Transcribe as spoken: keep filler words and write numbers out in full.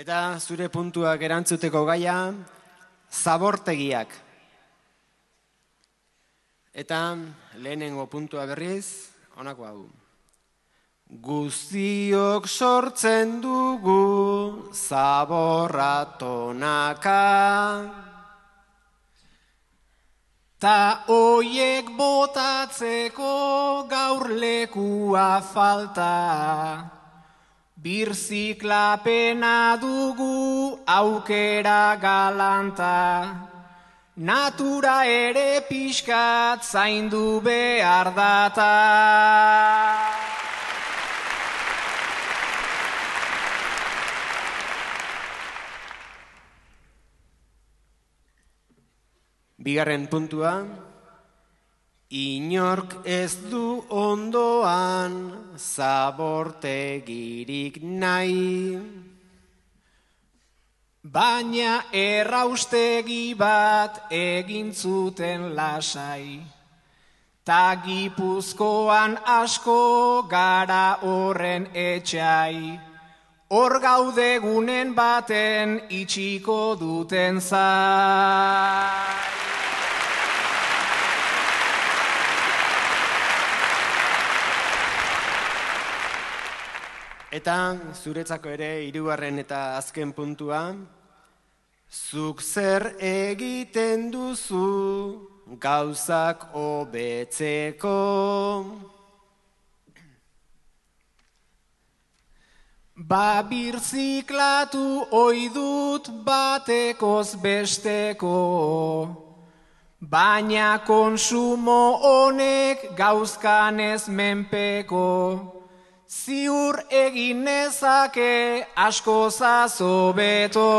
Eta zure puntuak erantzuteko gaia, zabortegiak. Eta lehenengo puntua berriz, honako hau. Guztiok sortzen dugu zaborra tonaka. Ta oiek botatzeko gaur lekua falta. Birziklapena dugu aukera galanta. Natura ere pixkat zaindu behar data. Bigarren puntua, inork ez du ondoan zabortegirik nahi. Baina erraustegi bat egin zuten lasai. Ta Gipuzkoan asko gara horren etxai. Hor gaude gunen baten itxiko duten zai. Eta zuretzako ere hirugarren eta azken puntua, zuk zer egiten duzu gauzak hobetzeko. Ba birziklatu ohi dut batekoz besteko, baina konsumo honek gauzkanez menpeko. Ziur egin nezake asko zazobeto.